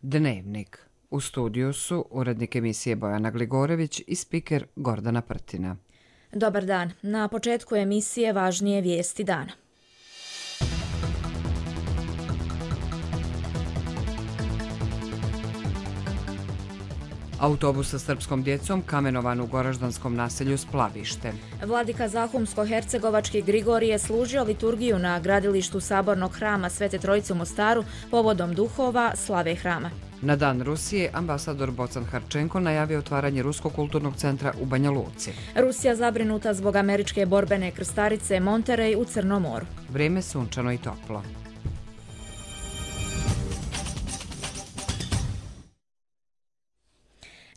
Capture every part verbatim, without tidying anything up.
Dnevnik. U studiju su urednik emisije Bojana Gligorević i spiker Gordana Prtina. Dobar dan. Na početku emisije važnije vijesti dana. Autobus sa srpskom djecom kamenovan u goraždanskom naselju Splavište. Vladika Zahumsko-hercegovački Grigorije služio liturgiju na gradilištu Sabornog hrama Svete Trojice u Mostaru povodom duhova slave hrama. Na Dan Rusije ambasador Bocan Harčenko najavio otvaranje Ruskog kulturnog centra u Banja Luci. Rusija zabrinuta zbog američke borbene krstarice Monterey u Crnom moru. Vrijeme sunčano i toplo.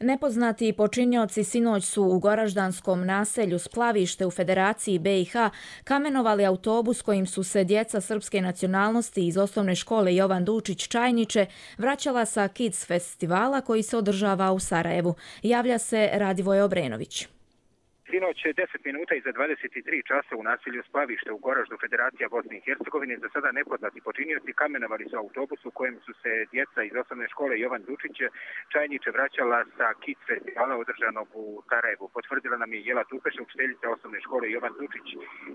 Nepoznati počinioci sinoć su u goraždanskom naselju Splavište u Federaciji B i H kamenovali autobus kojim su se djeca srpske nacionalnosti iz osnovne škole Jovan Dučić Čajniče vraćala sa Kids festivala koji se održava u Sarajevu. Javlja se Radivoje Obrenović. Sinoć deset minuta iza dvadeset tri časa u naselju Splavište u Goraždu Federacija Bosne i Hercegovine za sada nepoznati počinioci kamenovali su autobus u kojem su se djeca iz osnovne škole Jovan Dučić Čajniče vraćala sa Kids festivala održanog u Sarajevu. Potvrdila nam je Jela Tupeša, učiteljica osnovne škole Jovan Dučić,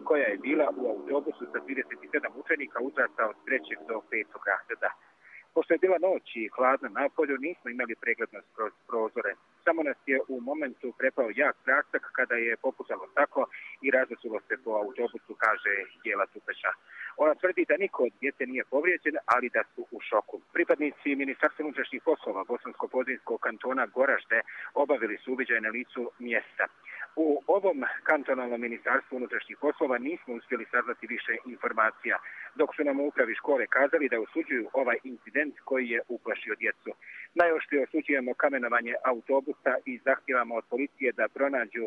koja je bila u autobusu sa trideset sedam učenika uzrasta od trećeg do petog razreda. Pošto je bila noć i hladna na polju, nismo imali preglednost kroz prozore. Samo nas je u momentu prepao jak prasak kada je popucalo staklo i razasulo se po autobusu, kaže Jela Tupeša. Ona tvrdi da niko od djece nije povrijeđen, ali da su u šoku. Pripadnici Ministarstva unutrašnjih poslova Bosansko-Podrinjskog kantona Goražde obavili su uviđaj na licu mjesta. U ovom kantonalnom ministarstvu unutrašnjih poslova nismo uspjeli saznati više informacija, dok su nam u upravi škole kazali da osuđuju ovaj incident koji je uplašio djecu. Najoštrije osuđujemo kamenovanje autobusa i zahtijevamo od policije da pronađu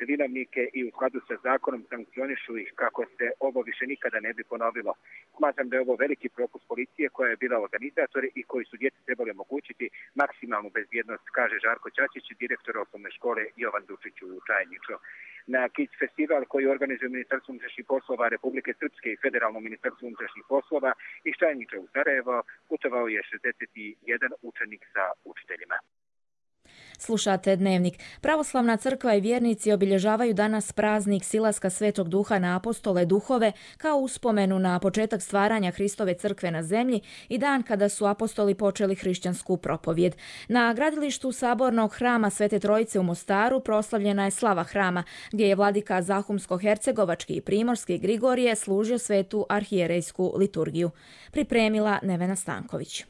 vinovnike i u skladu sa zakonom sankcionišu ih kako se ovo više nikada ne bi ponovilo. Smatram da je ovo veliki propust policije koja je bila organizator i koji su djeci trebali omogućiti maksimalnu bezbjednost, kaže Žarko Ćačić, direktor osnovne škole Jovan Dučić u Čajniču. Na Kids festival koji organizuje Ministarstvo unutrašnjih poslova Republike Srpske i Federalno Ministarstvo unutrašnjih poslova iz Čajniča u Sarajevo putovao je šezdeset jedan učenik sa učiteljima. Slušate Dnevnik. Pravoslavna crkva i vjernici obilježavaju danas praznik silaska Svetog Duha na apostole duhove kao uspomenu na početak stvaranja Hristove crkve na zemlji i dan kada su apostoli počeli hrišćansku propovjed. Na gradilištu Sabornog hrama Svete Trojice u Mostaru proslavljena je slava hrama, gdje je vladika Zahumsko-hercegovački i primorski Grigorije služio svetu arhijerejsku liturgiju. Pripremila Nevena Stanković.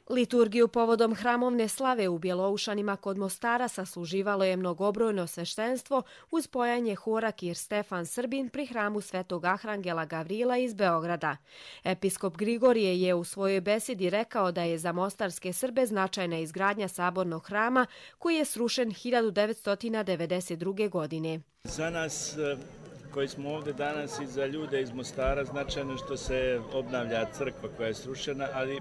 Liturgiju povodom hramovne slave u Bjeloušanima kod Mostara sasluživalo je mnogobrojno sveštenstvo uz pojanje hora Kir Stefan Srbin pri hramu Svetog Arhangela Gavrila iz Beograda. Episkop Grigorije je u svojoj besedi rekao da je za mostarske Srbe značajna izgradnja Sabornog hrama koji je srušen hiljadu devetsto devedeset druge. godine. Za nas koji smo ovdje danas i za ljude iz Mostara značajno što se obnavlja crkva koja je srušena, ali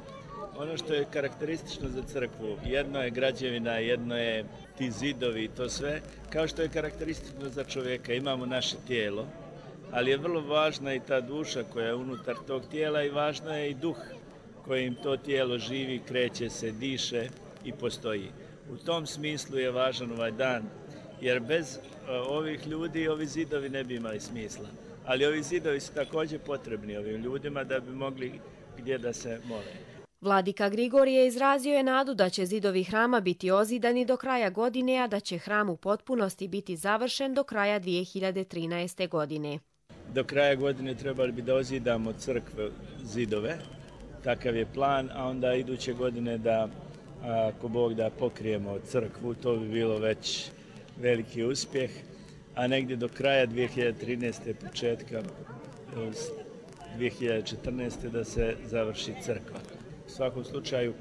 ono što je karakteristično za crkvu, jedno je građevina, jedno je ti zidovi i to sve, kao što je karakteristično za čovjeka. Imamo naše tijelo, ali je vrlo važna i ta duša koja je unutar tog tijela i važno je i duh kojim to tijelo živi, kreće se, diše i postoji. U tom smislu je važan ovaj dan, jer bez ovih ljudi ovi zidovi ne bi imali smisla. Ali ovi zidovi su također potrebni ovim ljudima da bi mogli gdje da se mole. Vladika Grigorije izrazio je nadu da će zidovi hrama biti ozidani do kraja godine, a da će hram u potpunosti biti završen do kraja dvije hiljade trinaeste. godine. Do kraja godine trebali bi da ozidamo crkve zidove, takav je plan, a onda iduće godine da, ako Bog da, pokrijemo crkvu, to bi bilo već veliki uspjeh, a negdje do kraja dvije hiljade trinaeste. početka dvije hiljade četrnaeste. da se završi crkva. U svakom slučaju,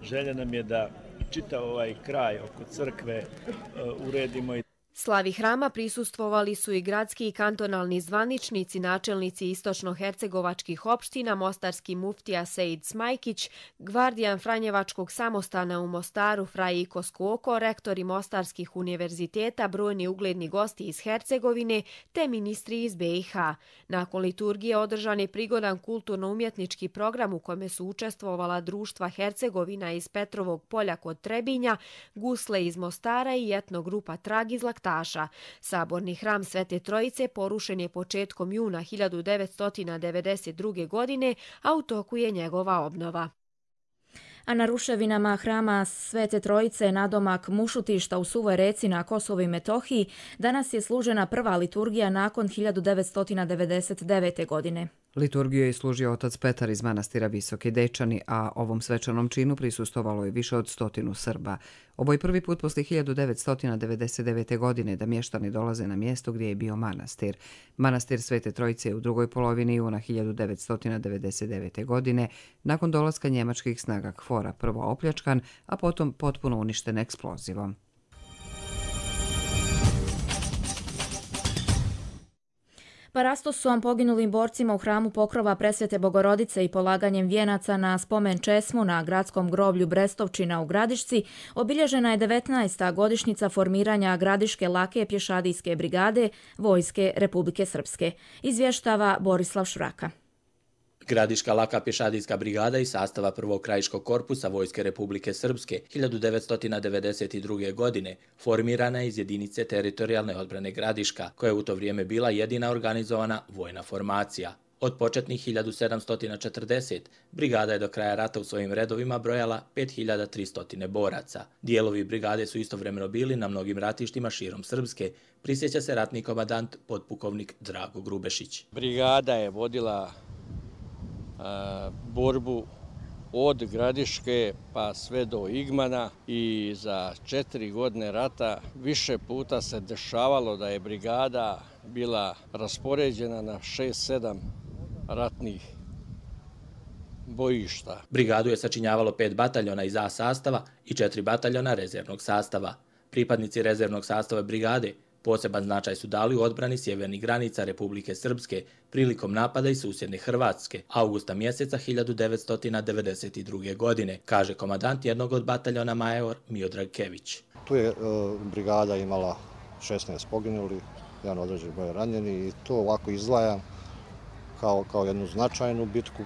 želja nam je da čitav ovaj kraj oko crkve uh, uredimo. Slavi hrama prisustvovali su i gradski i kantonalni zvaničnici, načelnici istočno-hercegovačkih opština, mostarski muftija Sejd Smajkić, gvardijan Franjevačkog samostana u Mostaru Frajiko Skoko, rektori mostarskih univerziteta, brojni ugledni gosti iz Hercegovine te ministri iz be i ha. Nakon liturgije održan je prigodan kulturno-umjetnički program u kome su učestvovala društva Hercegovina iz Petrovog polja kod Trebinja, Gusle iz Mostara i etno grupa Trag iz Laktaša. Saborni hram Svete Trojice porušen je početkom juna hiljadu devetsto devedeset druge. godine, a u toku je njegova obnova. A na ruševinama hrama Svete Trojice nadomak Mušutišta u Suvoj Reci na Kosovu i Metohiji danas je služena prva liturgija nakon hiljadu devetsto devedeset devete. godine. Liturgiju je služio otac Petar iz manastira Visoki Dečani, a ovom svečanom činu prisustvovalo je više od stotinu Srba. Ovo je prvi put posle hiljadu devetsto devedeset devete. godine da mještani dolaze na mjesto gdje je bio manastir. Manastir Svete Trojice je u drugoj polovini juna hiljadu devetsto devedeset devete. godine nakon dolaska njemačkih snaga KFOR-a prvo opljačkan, a potom potpuno uništen eksplozivom. Parastosom poginulim borcima u hramu Pokrova Presvete Bogorodice i polaganjem vijenaca na spomen česmu na gradskom groblju Brestovčina u Gradišci obilježena je devetnaesta godišnjica formiranja Gradiške lake pješadijske brigade Vojske Republike Srpske. Izvještava Borislav Švraka. Gradiška laka pješadijska brigada iz sastava prvog krajiškog korpusa Vojske Republike Srpske hiljadu devetsto devedeset druge. godine formirana je iz jedinice teritorijalne odbrane Gradiška, koja je u to vrijeme bila jedina organizovana vojna formacija. Od početnih hiljadu sedamsto četrdeset, brigada je do kraja rata u svojim redovima brojala pet hiljada tristo boraca. Dijelovi brigade su istovremeno bili na mnogim ratištima širom Srpske, prisjeća se ratni komandant potpukovnik Drago Grubešić. Brigada je vodila borbu od Gradiške pa sve do Igmana i za četiri godine rata više puta se dešavalo da je brigada bila raspoređena na šest sedam ratnih bojišta. Brigadu je sačinjavalo pet bataljona iz A sastava i četiri bataljona rezervnog sastava. Pripadnici rezervnog sastava brigade poseban značaj su dali u odbrani sjevernih granica Republike Srpske prilikom napada iz susjedne Hrvatske avgusta mjeseca hiljadu devetsto devedeset druge. godine, kaže komandant jednog od bataljona major Miodrag Kević. Tu je e, brigada imala šesnaest poginuli, jedan određen broj ranjeni i to ovako izdvajam kao, kao jednu značajnu bitku,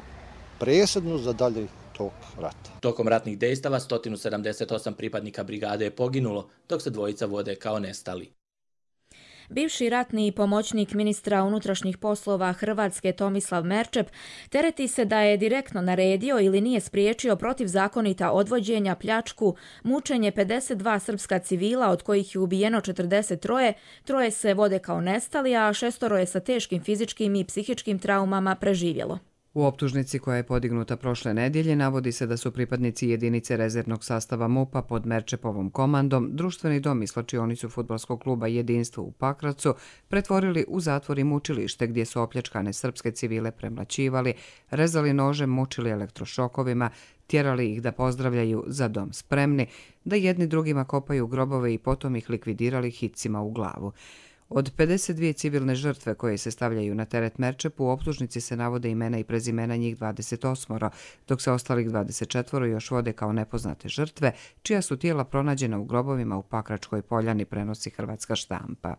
presudnu za dalje tok rata. Tokom ratnih dejstava sto sedamdeset osam pripadnika brigade je poginulo, dok se dvojica vode kao nestali. Bivši ratni pomoćnik ministra unutrašnjih poslova Hrvatske Tomislav Merčep tereti se da je direktno naredio ili nije spriječio protivzakonita odvođenja, pljačku, mučenje pedeset dva srpska civila, od kojih je ubijeno četrdeset tri, troje se vode kao nestali, a šestoro je sa teškim fizičkim i psihičkim traumama preživjelo. U optužnici koja je podignuta prošle nedjelje navodi se da su pripadnici jedinice rezervnog sastava MUP-a pod Merčepovom komandom društveni dom i slačionicu fudbalskog kluba Jedinstvo u Pakracu pretvorili u zatvor i mučilište gdje su opljačkane srpske civile premlaćivali, rezali nožem, mučili elektrošokovima, tjerali ih da pozdravljaju za dom spremni, da jedni drugima kopaju grobove i potom ih likvidirali hicima u glavu. Od pedeset dvije civilne žrtve koje se stavljaju na teret Merčepu, u optužnici se navode imena i prezimena njih dvadeset osam, dok se ostalih dvadeset četiri još vode kao nepoznate žrtve, čija su tijela pronađena u grobovima u Pakračkoj Poljani, prenosi hrvatska štampa.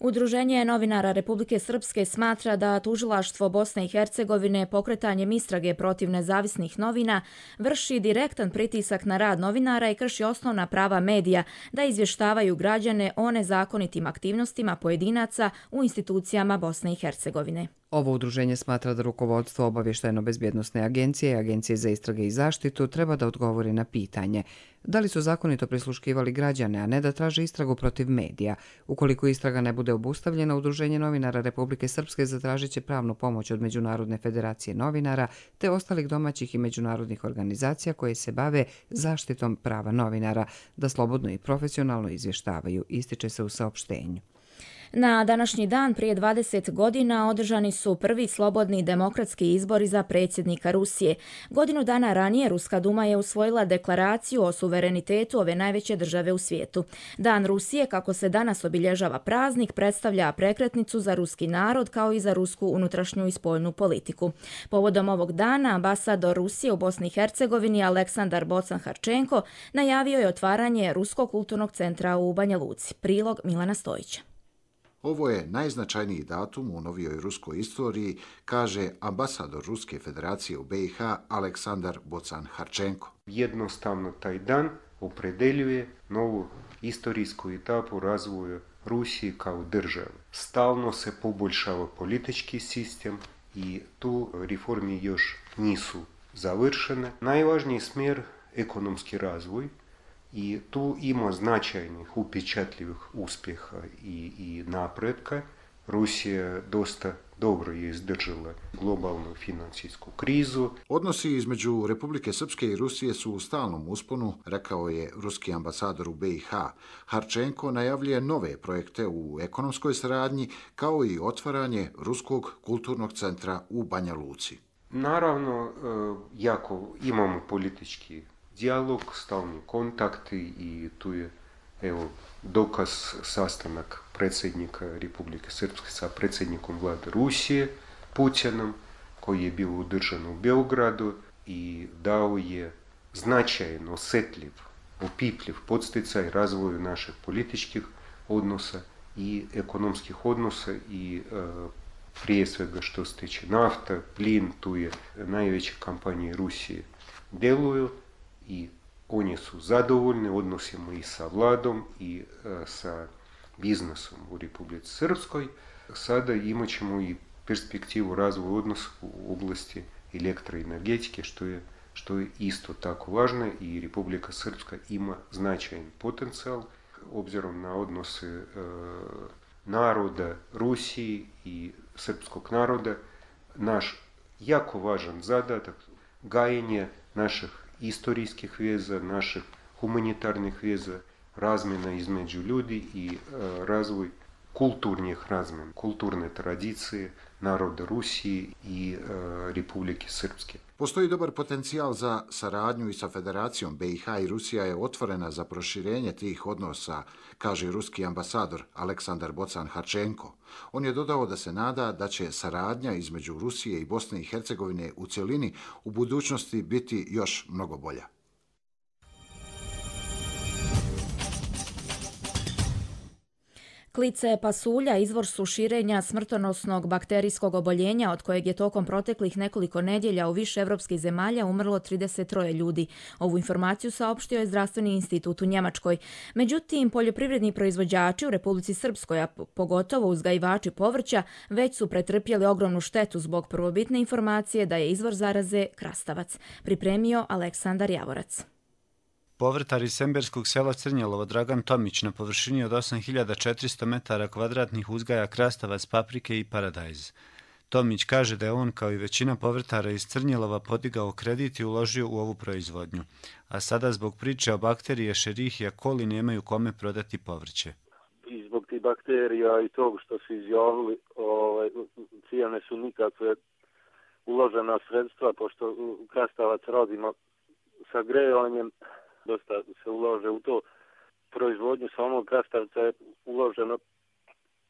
Udruženje novinara Republike Srpske smatra da tužilaštvo Bosne i Hercegovine pokretanjem istrage protiv nezavisnih novina vrši direktan pritisak na rad novinara i krši osnovna prava medija da izvještavaju građane o nezakonitim aktivnostima pojedinaca u institucijama Bosne i Hercegovine. Ovo udruženje smatra da rukovodstvo Obavještajno-bezbjednosne agencije i Agencije za istrage i zaštitu treba da odgovori na pitanje da li su zakonito prisluškivali građane, a ne da traže istragu protiv medija. Ukoliko istraga ne bude obustavljena, Udruženje novinara Republike Srpske zatražit će pravnu pomoć od Međunarodne federacije novinara te ostalih domaćih i međunarodnih organizacija koje se bave zaštitom prava novinara da slobodno i profesionalno izvještavaju, ističe se u saopštenju. Na današnji dan prije dvadeset godina održani su prvi slobodni demokratski izbori za predsjednika Rusije. Godinu dana ranije Ruska duma je usvojila deklaraciju o suverenitetu ove najveće države u svijetu. Dan Rusije, kako se danas obilježava praznik, predstavlja prekretnicu za ruski narod kao i za rusku unutrašnju i spoljnu politiku. Povodom ovog dana ambasador Rusije u Bosni i Hercegovini Aleksandar Bocan-Harčenko najavio je otvaranje Ruskog kulturnog centra u Banja Luci. Prilog Milana Stojića. Ovo je najznačajniji datum u novijoj ruskoj istoriji, kaže ambasador Ruske federacije u be i ha Aleksandar Bocan-Harčenko. Jednostavno taj dan opredeljuje novu istorijsku etapu razvoja Rusije kao države. Stalno se poboljšava politički sistem i tu reforme još nisu završene. Najvažniji smjer ekonomski razvoj i tu ima značajnih upečatljivih uspjeha i, i napretka. Rusija dosta dobro je izdržala globalnu financijsku krizu. Odnosi između Republike Srpske i Rusije su u stalnom usponu, rekao je ruski ambasador u be i ha. Harčenko najavljuje nove projekte u ekonomskoj saradnji, kao i otvaranje Ruskog kulturnog centra u Banja Luci. Naravno, jako imamo politički dijalog, stalni kontakti i tu je evo, dokaz sastanak predsjednika Republike Srpske sa predsjednikom vlade Rusije, Putinom, koji je bio održan u Beogradu i dao je značajan, osjetljiv, opipljiv podsticaj razvoju naših političkih odnosa i ekonomskih odnosa i e, prije svega što se tiče nafta, plin, tu je najveće kompanije Rusije djeluju i oni su zadovoljni odnosima i sa vladom i e, sa biznesom u Republici Srpskoj. Sada imat ćemo i perspektivu razvoja odnosa u oblasti elektroenergetike, što je, što je isto tako važno i Republika Srpska ima značajan potencijal obzirom na odnose e, naroda Rusiji i srpskog naroda. Naš jako važan zadatak gajenje naših istorijskih veza, naših humanitarnih veza, razmjena između ljudi i e, razvoj kulturnih razmjena, kulturne tradicije naroda Rusije i e, Republike Srpske. Postoji dobar potencijal za saradnju i sa Federacijom. be i ha i Rusija je otvorena za proširenje tih odnosa, kaže ruski ambasador Aleksandar Bocan-Harčenko. On je dodao da se nada da će saradnja između Rusije i Bosne i Hercegovine u cjelini u budućnosti biti još mnogo bolja. Klice pasulja izvor su širenja smrtonosnog bakterijskog oboljenja od kojeg je tokom proteklih nekoliko nedjelja u više evropskih zemalja umrlo trideset troje ljudi. Ovu informaciju saopštio je Zdravstveni institut u Njemačkoj. Međutim, poljoprivredni proizvođači u Republici Srpskoj, a pogotovo uzgajivači povrća, već su pretrpjeli ogromnu štetu zbog prvobitne informacije da je izvor zaraze krastavac. Pripremio Aleksandar Javorac. Povrtar iz semberskog sela Crnjelovo Dragan Tomić na površini od osam hiljada četiristo metara kvadratnih uzgaja krastavac, paprike i paradajz. Tomić kaže da je on, kao i većina povrtara iz Crnjelova, podigao kredit i uložio u ovu proizvodnju. A sada zbog priče o bakterije Escherichia coli nemaju kome prodati povrće. I zbog tih bakterija i tog što su izjavili, ovaj, cijene su nikakve uložena sredstva, pošto krastavac radimo sa grejanjem. Dosta se ulože u to. Proizvodnju samog krastavca je uloženo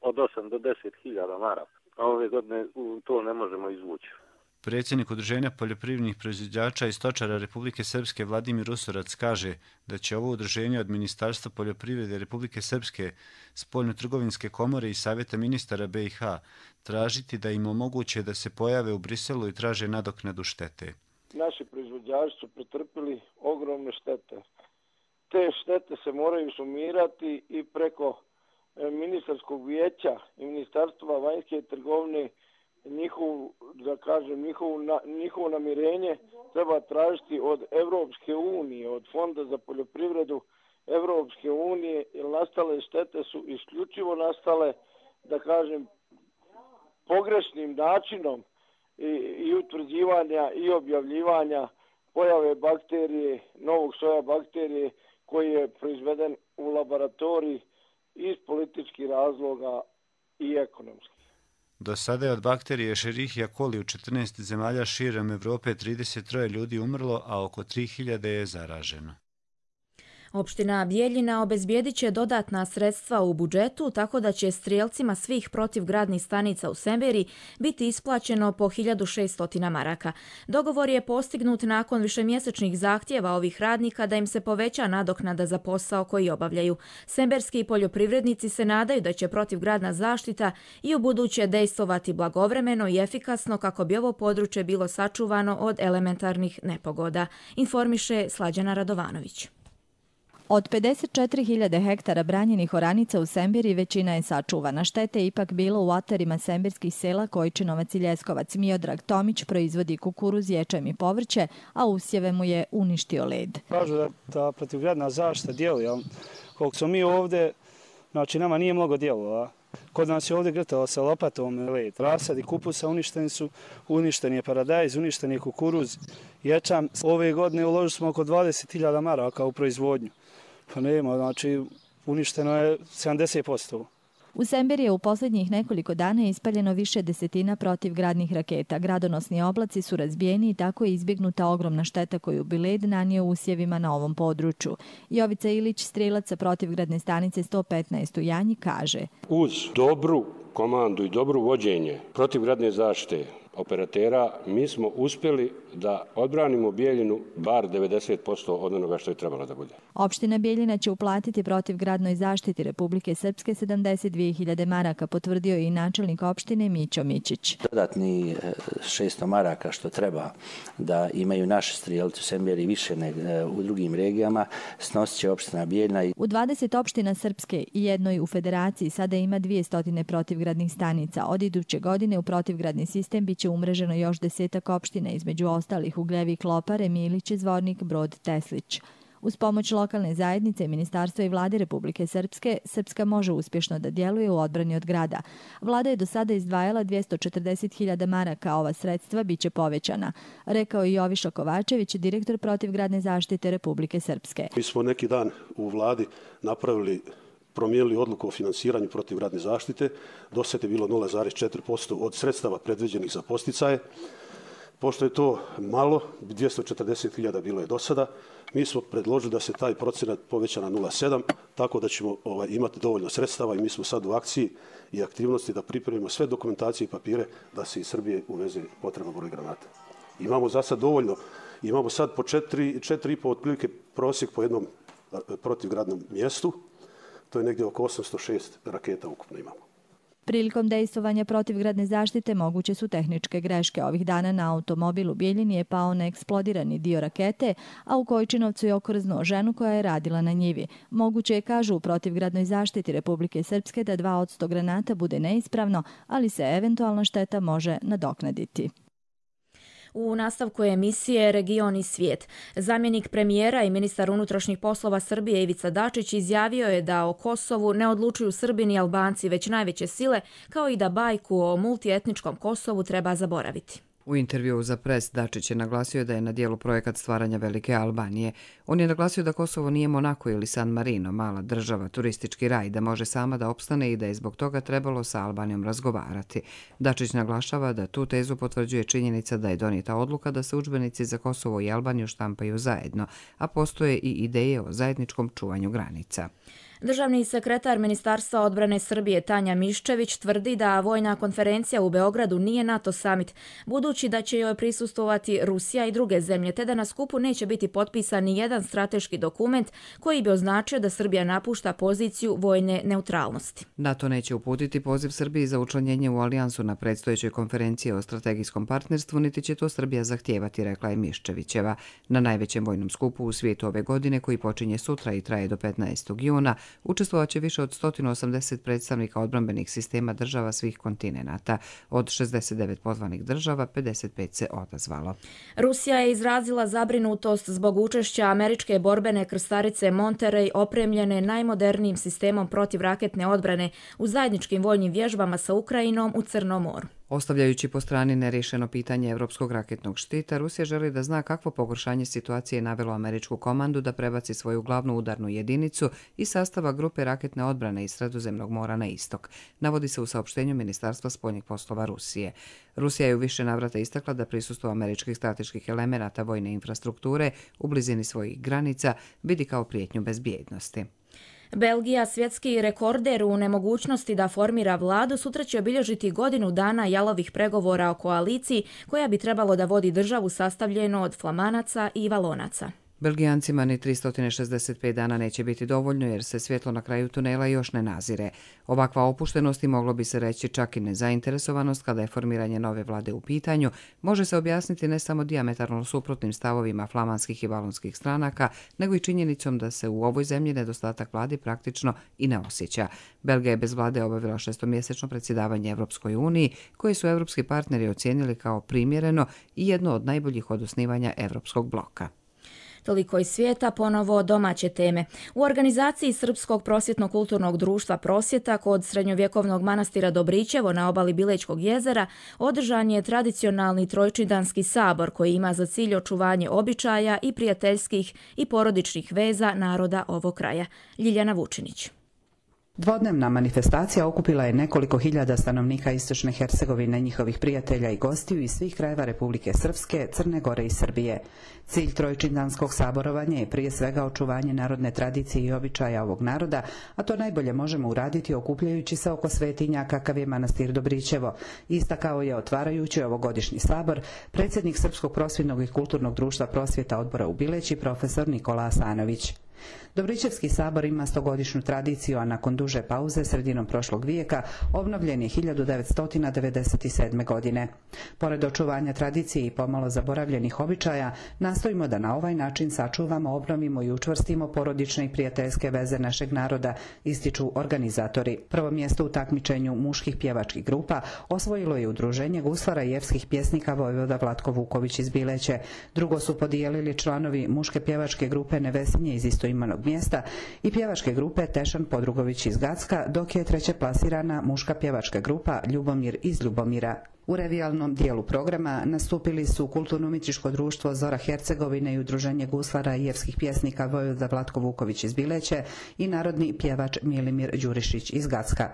od osam do deset hiljada maraka, a ove godine to ne možemo izvući. Predsjednik Udruženja poljoprivrednih proizvođača i stočara Republike Srpske Vladimir Usorac kaže da će ovo udruženje od Ministarstva poljoprivrede Republike Srpske, Spoljno-trgovinske komore i Savjeta ministara be i ha tražiti da im omoguće da se pojave u Briselu i traže nadoknadu štete. Naši proizvođači su pretrpili ogromne štete. Te štete se moraju sumirati i preko ministarskog vijeća i ministarstva vanjske trgovine njihov, da kažem, njihovo, njihovo namirenje treba tražiti od Evropske unije, od Fonda za poljoprivredu Evropske unije, jer nastale štete su isključivo nastale, da kažem, pogrešnim načinom i, i utvrđivanja i objavljivanja pojave bakterije, novog soja bakterije koji je proizveden u laboratoriji iz političkih razloga i ekonomskih. Do sada je od bakterije Escherichia coli u četrnaest zemalja širom Evrope trideset tri ljudi umrlo, a oko tri hiljade je zaraženo. Opština Bijeljina obezbijedit će dodatna sredstva u budžetu, tako da će strijelcima svih protivgradnih stanica u Semberiji biti isplaćeno po hiljadu šesto maraka. Dogovor je postignut nakon višemjesečnih zahtjeva ovih radnika da im se poveća nadoknada za posao koji obavljaju. Semberski poljoprivrednici se nadaju da će protivgradna zaštita i u buduće dejstvovati blagovremeno i efikasno kako bi ovo područje bilo sačuvano od elementarnih nepogoda, informiše Slađana Radovanović. Od pedeset četiri hiljade hektara branjenih oranica u Sembiri većina je sačuvana. Štete je ipak bilo u atarima sembirskih sela Kojčinovac i Ljeskovac. Miodrag Tomić proizvodi kukuruz, ječam i povrće, a usjeve mu je uništio led. Kažu da ta protivgradna zaštita djeluje, ali koliko smo mi ovdje, znači nama nije mnogo djelova. Kod nas je ovdje grtalo sa lopatom led. Rasadi kupusa uništeni su, uništen je paradajz, uništen je kukuruz, ječam. Ove godine uložili smo oko dvadeset hiljada maraka u proizvodnju. Pa nema, znači uništeno je sedamdeset posto. U Semberi je u posljednjih nekoliko dana ispaljeno više desetina protivgradnih raketa. Gradonosni oblaci su razbijeni i tako je izbjegnuta ogromna šteta koju bi led nanio usjevima na ovom području. Jovica Ilić, strelac sa protivgradne stanice sto petnaest u Janji, kaže: Uz dobru komandu i dobru vođenje protivgradne zaštite operatera, mi smo uspjeli da odbranimo Bijeljinu bar devedeset posto od onoga što je trebalo da bude. Opština Bijeljina će uplatiti protivgradnoj zaštiti Republike Srpske sedamdeset dvije hiljade maraka, potvrdio je i načelnik opštine Mićo Mićić. Dodatni šesto maraka što treba da imaju naši strijelci u Semberi više nego u drugim regijama, snosit će opština Bijeljina. U dvadeset opština Srpske i jednoj u Federaciji sada ima dvjesto protivgradnih stanica. Od iduće godine u protivgradni sistem biće umreženo još desetak opština, između ostalih Ugljevi, Klopare, Milić, Zvornik, Brod, Teslić. Uz pomoć lokalne zajednice, ministarstva i vlade Republike Srpske, Srpska može uspješno da djeluje u odbrani od grada. Vlada je do sada izdvajala dvjesto četrdeset hiljada maraka, a ova sredstva biće povećana, rekao je Joviša Kovačević, direktor protivgradne zaštite Republike Srpske. Mi smo neki dan u vladi napravili promijenili odluku o finansiranju protivgradne zaštite. Do sada je bilo nula zarez četiri posto od sredstava predviđenih za podsticaje. Pošto je to malo, dvjesto četrdeset hiljada bilo je do sada, mi smo predložili da se taj procenat poveća na nula zarez sedam, tako da ćemo ovaj, imati dovoljno sredstava i mi smo sad u akciji i aktivnosti da pripremimo sve dokumentacije i papire da se iz Srbije uveze potreban broj granata. Imamo za sad dovoljno, imamo sad po četiri, četiri i po otprilike prosjek po jednom protivgradnom mjestu. To je negdje oko osamsto šest raketa ukupno imamo. Prilikom dejstvovanja protivgradne zaštite moguće su tehničke greške. Ovih dana na automobil u Bijeljini je pao neeksplodirani dio rakete, a u Kojčinovcu je okrznuo ženu koja je radila na njivi. Moguće je, kažu u protivgradnoj zaštiti Republike Srpske, da dva od sto granata bude neispravno, ali se eventualna šteta može nadoknaditi. U nastavku emisije Region i svijet. Zamjenik premijera i ministar unutrašnjih poslova Srbije Ivica Dačić izjavio je da o Kosovu ne odlučuju Srbi i Albanci, već najveće sile, kao i da bajku o multietničkom Kosovu treba zaboraviti. U intervjuu za Pres Dačić je naglasio da je na dijelu projekat stvaranja Velike Albanije. On je naglasio da Kosovo nije Monako ili San Marino, mala država, turistički raj, da može sama da opstane i da je zbog toga trebalo sa Albanijom razgovarati. Dačić naglašava da tu tezu potvrđuje činjenica da je donijeta odluka da se udžbenici za Kosovo i Albaniju štampaju zajedno, a postoje i ideje o zajedničkom čuvanju granica. Državni sekretar Ministarstva odbrane Srbije Tanja Miščević tvrdi da vojna konferencija u Beogradu nije NATO summit, budući da će joj prisustvovati Rusija i druge zemlje, te da na skupu neće biti potpisan ni jedan strateški dokument koji bi označio da Srbija napušta poziciju vojne neutralnosti. NATO neće uputiti poziv Srbiji za učlanjenje u alijansu na predstojećoj konferenciji o strategijskom partnerstvu, niti će to Srbija zahtijevati, rekla je Miščevićeva. Na najvećem vojnom skupu u svijetu ove godine, koji počinje sutra i traje do petnaestog juna, učestvovaće više od sto osamdeset predstavnika odbrambenih sistema država svih kontinenata. Od šezdeset devet pozvanih država, pedeset pet se odazvalo. Rusija je izrazila zabrinutost zbog učešća američke borbene krstarice Monterey opremljene najmodernijim sistemom protivraketne odbrane u zajedničkim vojnim vježbama sa Ukrajinom u Crnom moru. Ostavljajući po strani nerješeno pitanje evropskog raketnog štita, Rusija želi da zna kakvo pogoršanje situacije je navelo američku komandu da prebaci svoju glavnu udarnu jedinicu iz sastava grupe raketne odbrane iz Sredozemnog mora na istok, navodi se u saopštenju Ministarstva spoljnih poslova Rusije. Rusija je u više navrata istakla da prisustvo američkih strateških elemenata vojne infrastrukture u blizini svojih granica vidi kao prijetnju bezbjednosti. Belgija, svjetski rekorder u nemogućnosti da formira vladu, sutra će obilježiti godinu dana jalovih pregovora o koaliciji koja bi trebalo da vodi državu sastavljenu od Flamanaca i Valonaca. Belgijancima ni tristo šezdeset pet dana neće biti dovoljno jer se svjetlo na kraju tunela još ne nazire. Ovakva opuštenost i moglo bi se reći čak i nezainteresovanost kada je formiranje nove vlade u pitanju, može se objasniti ne samo dijametralno suprotnim stavovima flamanskih i valonskih stranaka, nego i činjenicom da se u ovoj zemlji nedostatak vlade praktično i ne osjeća. Belgija je bez vlade obavila šestomjesečno predsjedavanje Evropskoj uniji, koje su evropski partneri ocijenili kao primjereno i jedno od najboljih od osnivanja Evropskog bloka. Toliko iz svijeta, ponovo domaće teme. U organizaciji Srpskog prosvjetno-kulturnog društva Prosvjeta kod srednjovjekovnog manastira Dobrićevo na obali Bilečkog jezera održan je tradicionalni trojčidanski sabor koji ima za cilj očuvanje običaja i prijateljskih i porodičnih veza naroda ovog kraja. Ljiljana Vučinić. Dvodnevna manifestacija okupila je nekoliko hiljada stanovnika Istočne Hercegovine, njihovih prijatelja i gostiju iz svih krajeva Republike Srpske, Crne Gore i Srbije. Cilj trojčidanskog saborovanja je prije svega očuvanje narodne tradicije i običaja ovog naroda, a to najbolje možemo uraditi okupljajući se oko svetinja kakav je manastir Dobrićevo. Istakao je otvarajući ovogodišnji sabor predsjednik Srpskog prosvjetnog i kulturnog društva Prosvjeta odbora u Bileći, profesor Nikola Asanović. Dobrićevski sabor ima stogodišnju tradiciju, a nakon duže pauze sredinom prošlog vijeka obnovljen je hiljadu devetsto devedeset sedme. godine. Pored očuvanja tradicije i pomalo zaboravljenih običaja, nastojimo da na ovaj način sačuvamo, obnovimo i učvrstimo porodične i prijateljske veze našeg naroda, ističu organizatori. Prvo mjesto u takmičenju muških pjevačkih grupa osvojilo je udruženje guslara i evskih pjesnika Vojvoda Vlatko Vuković iz Bileće. Drugo su podijelili članovi muške pjevačke grupe Nevesinje iz istoimenog mjesta i pjevačke grupe Tešan Podrugović iz Gacka, dok je treće plasirana muška pjevačka grupa Ljubomir iz Ljubomira. U revijalnom dijelu programa nastupili su Kulturno-umjetničko društvo Zora Hercegovine i udruženje guslara i evskih pjesnika Vojvoda Vlatko Vuković iz Bileće i narodni pjevač Milimir Đurišić iz Gacka.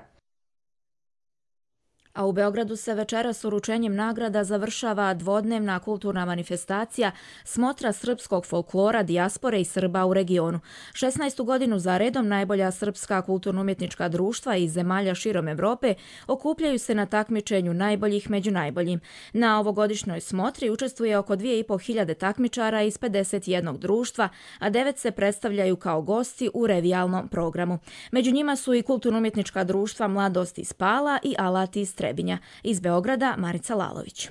A u Beogradu se večeras uručenjem nagrada završava dvodnevna kulturna manifestacija Smotra srpskog folklora, dijaspore i Srba u regionu. šesnaestu godinu za redom najbolja srpska kulturno-umjetnička društva iz zemalja širom Evrope okupljaju se na takmičenju najboljih među najboljim. Na ovogodišnjoj smotri učestvuje oko dvije i po hiljade takmičara iz pedeset jednog društva, a devet se predstavljaju kao gosti u revijalnom programu. Među njima su i kulturno-umjetnička društva Mladost iz Pala i Alati iz Trebinja. Iz Beograda Marica Lalović.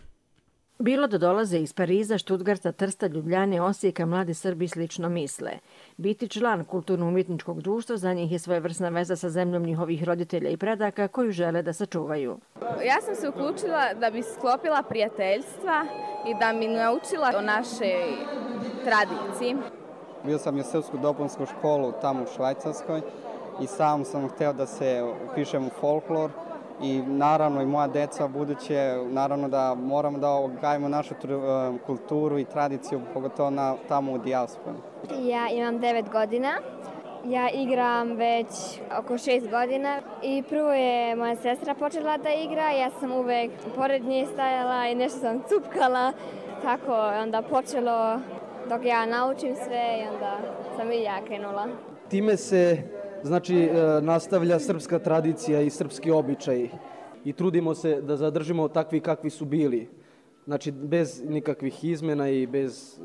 Bilo da dolaze iz Pariza, Štutgarta, Trsta, Ljubljane, Osijeka, mladi Srbi slično misle. Biti član kulturno-umjetničkog društva za njih je svojevrsna veza sa zemljom njihovih roditelja i predaka koju žele da sačuvaju. Ja sam se uključila da bi sklopila prijateljstva i da mi naučila o našoj tradiciji. Bio sam u srpsku dopunsku školu tamo u Švajcarskoj i sam sam htio da se upišem u folklor. I naravno i moja deca buduće, naravno da moramo da gajimo našu kulturu i tradiciju, pogotovo na, tamo u dijasporu. Ja imam devet godina, ja igram već oko šest godina i prvo je moja sestra počela da igra, ja sam uvek pored nje stajala i nešto sam cupkala, tako je onda počelo dok ja naučim sve i onda sam i ja krenula. Time se Znači, nastavlja srpska tradicija i srpski običaj i trudimo se da zadržimo takvi kakvi su bili. Znači, bez nikakvih izmjena i bez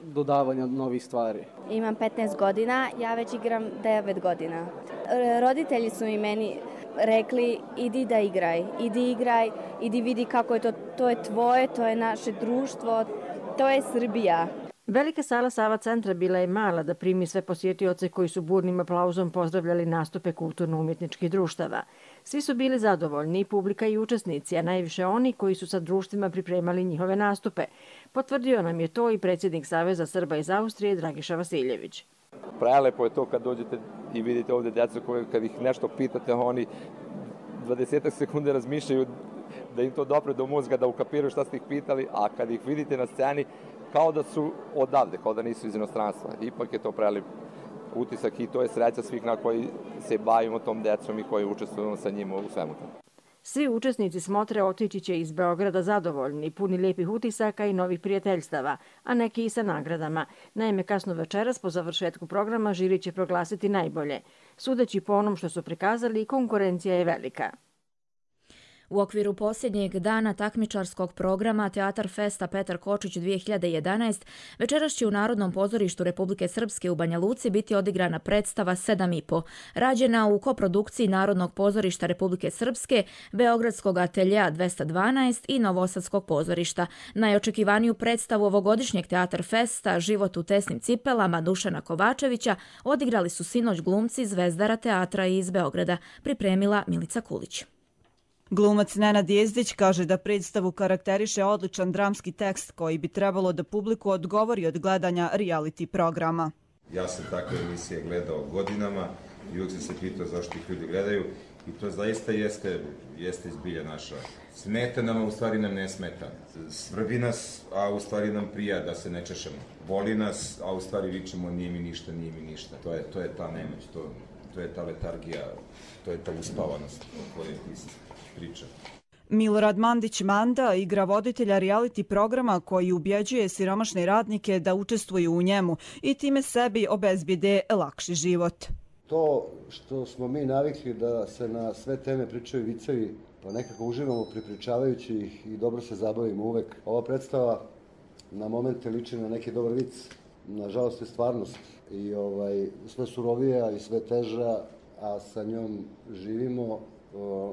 dodavanja novih stvari. Imam petnaest godina, ja već igram devet godina. Roditelji su mi meni rekli, idi da igraj, idi igraj, idi vidi kako je to, to je tvoje, to je naše društvo, to je Srbija. Velika sala Sava centra bila je mala da primi sve posjetioce koji su burnim aplauzom pozdravljali nastupe kulturno-umjetničkih društava. Svi su bili zadovoljni, i publika i učesnici, a najviše oni koji su sa društvima pripremali njihove nastupe. Potvrdio nam je to i predsjednik Saveza Srba iz Austrije, Dragiša Vasiljević. Prelepo je to kad dođete i vidite ovdje djecu koje kad ih nešto pitate, oni dvadeset sekunde razmišljaju da im to dopre do mozga, da ukapiraju šta ste ih pitali, a kad ih vidite na sceni, kao da su odavde, kao da nisu iz inostranstva. Ipak je to prelip utisak i to je sreća svih na koji se bavimo tom decom i koji učestvujemo sa njima u svemu tome. Svi učesnici smotre otići će iz Beograda zadovoljni, puni lijepih utisaka i novih prijateljstava, a neki i sa nagradama. Naime, kasno večeras po završetku programa žiri će proglasiti najbolje. Sudeći po onom što su prikazali, konkurencija je velika. U okviru posljednjeg dana takmičarskog programa Teatar Festa Petar Kočić dvije hiljade jedanaest večeras će u Narodnom pozorištu Republike Srpske u Banja Luci biti odigrana predstava sedam i po, rađena u koprodukciji Narodnog pozorišta Republike Srpske, Beogradskog ateljea dvesta dvanaest i Novosadskog pozorišta. Najočekivaniju predstavu ovogodišnjeg Teatar Festa Život u tesnim cipelama Dušana Kovačevića odigrali su sinoć glumci Zvezdara teatra iz Beograda, pripremila Milica Kulić. Glumac Nenad Jezdić kaže da predstavu karakteriše odličan dramski tekst koji bi trebalo da publiku odgovori od gledanja reality programa. Ja sam takve emisije gledao godinama i uvijek sam se pitao zašto ih ljudi gledaju i to zaista jeste, jeste izbilja naša. Smeta nam, a u stvari nam ne smeta. Svrbi nas, a u stvari nam prija da se ne češemo. Boli nas, a u stvari vičemo nije mi ništa, nije mi ništa. To je, to je ta nemoć, to, to je ta letargija, to je ta uspavanost o kojoj ti priča. Milorad Mandić Manda igra voditelja reality programa koji ubjeđuje siromašne radnike da učestvuju u njemu i time sebi obezbijede lakši život. To što smo mi navikli da se na sve teme pričaju vicevi, pa nekako uživamo pripričavajući ih i dobro se zabavimo uvek. Ova predstava na momente liči na neki dobar vic, nažalost je stvarnost i ovaj, sve surovija i sve teža, a sa njom živimo.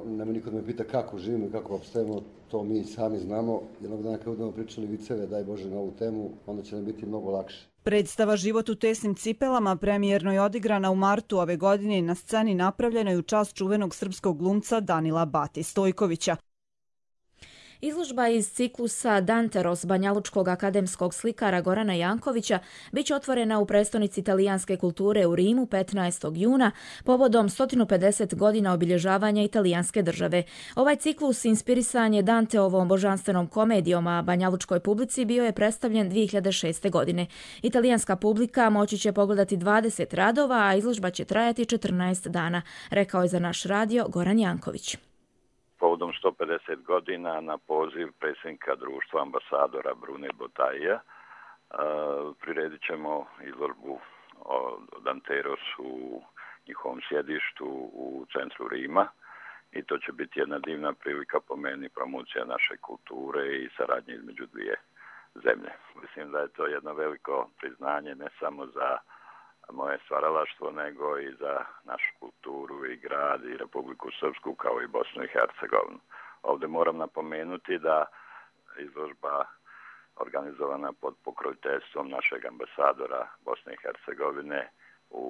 Nema niko da me pita kako živimo i kako opstajemo, to mi sami znamo. Jednog dana kad budemo pričali viceve, daj Bože, na ovu temu, onda će nam biti mnogo lakše. Predstava Život u tesnim cipelama premijerno je odigrana u martu ove godine na sceni napravljenoj u čast čuvenog srpskog glumca Danila Bati Stojkovića. Izložba iz ciklusa Danteros banjalučkog akademskog slikara Gorana Jankovića biće otvorena u prestonici italijanske kulture u Rimu petnaestog juna povodom sto pedeset godina obilježavanja italijanske države. Ovaj ciklus inspirisan je Danteovom božanstvenom komedijom, a banjalučkoj publici bio je predstavljen dvije hiljade šeste. godine. Italijanska publika moći će pogledati dvadeset radova, a izložba će trajati četrnaest dana, rekao je za naš radio Goran Janković. Povodom sto pedeset godina na poziv predsjednika društva ambasadora Brune Botaija priredit ćemo izložbu o Danteros u njihovom sjedištu u centru Rima i to će biti jedna divna prilika po meni promocija naše kulture i saradnje između dvije zemlje. Mislim da je to jedno veliko priznanje ne samo za moje stvaralaštvo, nego i za našu kulturu i grad i Republiku Srpsku kao i Bosnu i Hercegovinu. Ovdje moram napomenuti da izložba organizovana pod pokroviteljstvom našeg ambasadora Bosne i Hercegovine u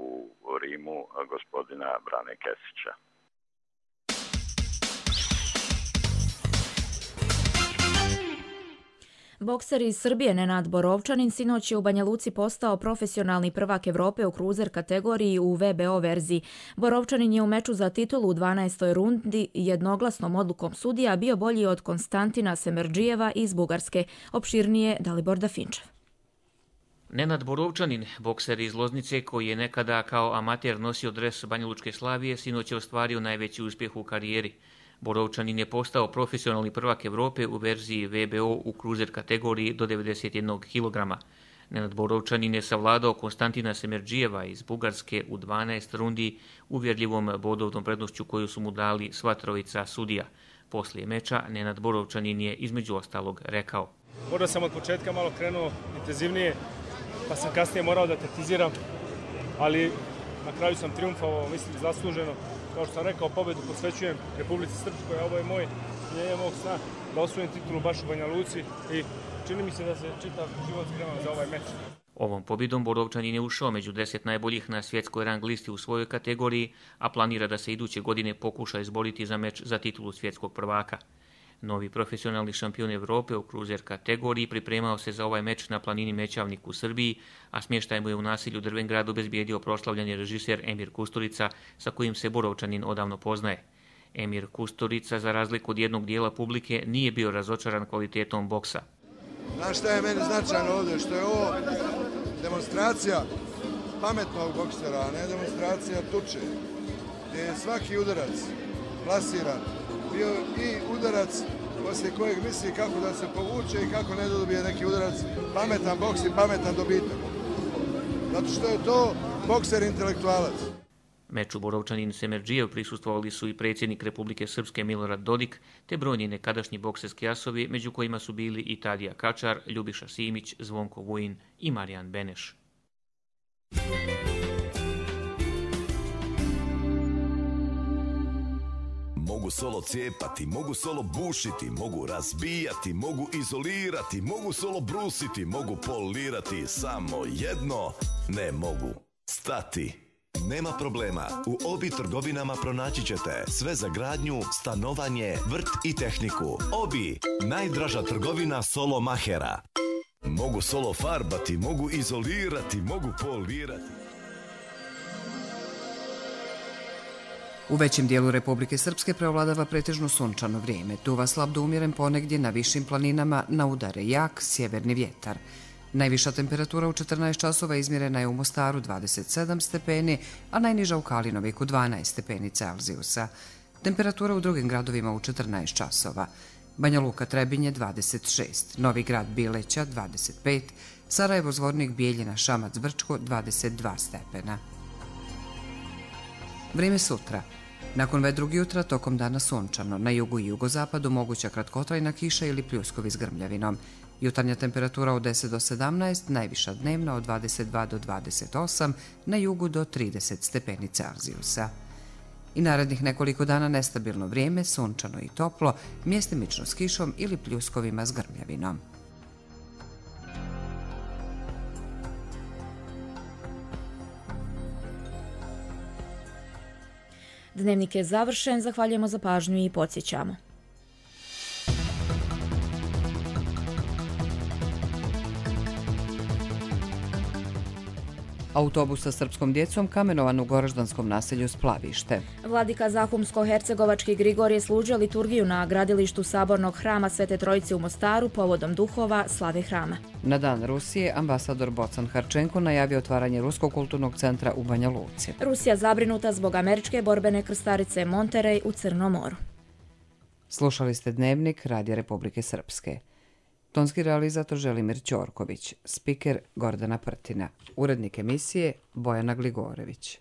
Rimu, gospodina Brane Kesića. Bokser iz Srbije Nenad Borovčanin sinoć je u Banja Luci postao profesionalni prvak Evrope u kruzer kategoriji u V B O verziji. Borovčanin je u meču za titulu u dvanaestoj rundi jednoglasnom odlukom sudija bio bolji od Konstantina Semerdžijeva iz Bugarske. Opširnije Dalibor Dafinčev. Nenad Borovčanin, bokser iz Loznice koji je nekada kao amater nosio dres Banjalučke Slavije, sinoć je ostvario najveći uspjeh u karijeri. Borovčanin je postao profesionalni prvak Evrope u verziji V B O u kruzer kategoriji do devedeset jednog kilograma. Nenad Borovčanin je savladao Konstantina Semerdžijeva iz Bugarske u dvanaest rundi uvjerljivom bodovnom prednošću koju su mu dali sva trojica sudija. Poslije meča Nenad Borovčanin je između ostalog rekao: Možda sam od početka malo krenuo intenzivnije, pa sam kasnije morao da tetiziram, ali na kraju sam triumfovao, mislim, zasluženo. Kao što sam rekao, pobedu posvećujem Republici Srpskoj, a ovo je moj njenje mog sna da osvojim titulu baš u Banja Luci i čini mi se da se čitav život sprema za ovaj meč. Ovom pobjedom Borovčanin je ušao među deset najboljih na svjetskoj rang listi u svojoj kategoriji, a planira da se iduće godine pokuša izboriti za meč za titulu svjetskog prvaka. Novi profesionalni šampion Evrope u kruzer kategoriji pripremao se za ovaj meč na planini Mećavnik u Srbiji, a smještaj mu je u naselju Drvengrad obezbijedio proslavljeni režiser Emir Kusturica, sa kojim se Borovčanin odavno poznaje. Emir Kusturica, za razliku od jednog dijela publike, nije bio razočaran kvalitetom boksa. Znaš šta je meni značajno ovdje? Što je ovo demonstracija pametnog boksera, a ne demonstracija tuče. Gdje je svaki udarac plasiran bio i udarac poslije kojeg misli kako da se povuče i kako ne dobije neki udarac. Pametan boks i pametan dobitak. Zato što je to bokser intelektualac. Meču Borovčanin Semerdžijev prisustvovali su i predsjednik Republike Srpske Milorad Dodik, te brojni nekadašnji bokserski asovi, među kojima su bili i Tadija Kačar, Ljubiša Simić, Zvonko Vujin i Marijan Beneš. Mogu solo cijepati, mogu solo bušiti, mogu razbijati, mogu izolirati, mogu solo brusiti, mogu polirati, samo jedno ne mogu stati. Nema problema, u Obi trgovinama pronaći ćete sve za gradnju, stanovanje, vrt i tehniku. Obi, najdraža trgovina solo mahera. Mogu solo farbati, mogu izolirati, mogu polirati. U većem dijelu Republike Srpske preovladava pretežno sunčano vrijeme. Duva slab do umjeren, ponegdje na višim planinama na udare jak sjeverni vjetar. Najviša temperatura u četrnaest časova izmjerena je u Mostaru dvadeset sedam stepeni, a najniža u Kalinoviku dvanaest stepeni Celzijusa. Temperatura u drugim gradovima u četrnaest časova. Banja Luka Trebinje dvadeset šest, Novi Grad Bileća dvadeset pet, Sarajevo Zvornik Bijeljina Šamac Brčko dvadeset dva stepena. Vrijeme sutra. Nakon vedrog jutra tokom dana sunčano, na jugu i jugozapadu moguća kratkotrajna kiša ili pljuskovi s grmljavinom. Jutarnja temperatura od deset do sedamnaest, najviša dnevna od dvadeset dva do dvadeset osam, na jugu do trideset stepeni Celzijusa. I narednih nekoliko dana nestabilno vrijeme, sunčano i toplo, mjestimično s kišom ili pljuskovima s grmljavinom. Dnevnik je završen, zahvaljujemo za pažnju i podsjećamo. Autobus sa srpskom djecom kamenovan u goraždanskom naselju Splavište. Vladika Zahumsko-hercegovački Grigorije služio liturgiju na gradilištu Sabornog hrama Svete Trojice u Mostaru povodom duhova slave hrama. Na dan Rusije ambasador Bocan Harčenko najavio otvaranje Ruskog kulturnog centra u Banja Luci. Rusija zabrinuta zbog američke borbene krstarice Monterey u Crnom moru. Slušali ste Dnevnik Radija Republike Srpske. Tonski realizator Želimir Ćorković, spiker Gordana Prtina, urednik emisije Bojana Gligorević.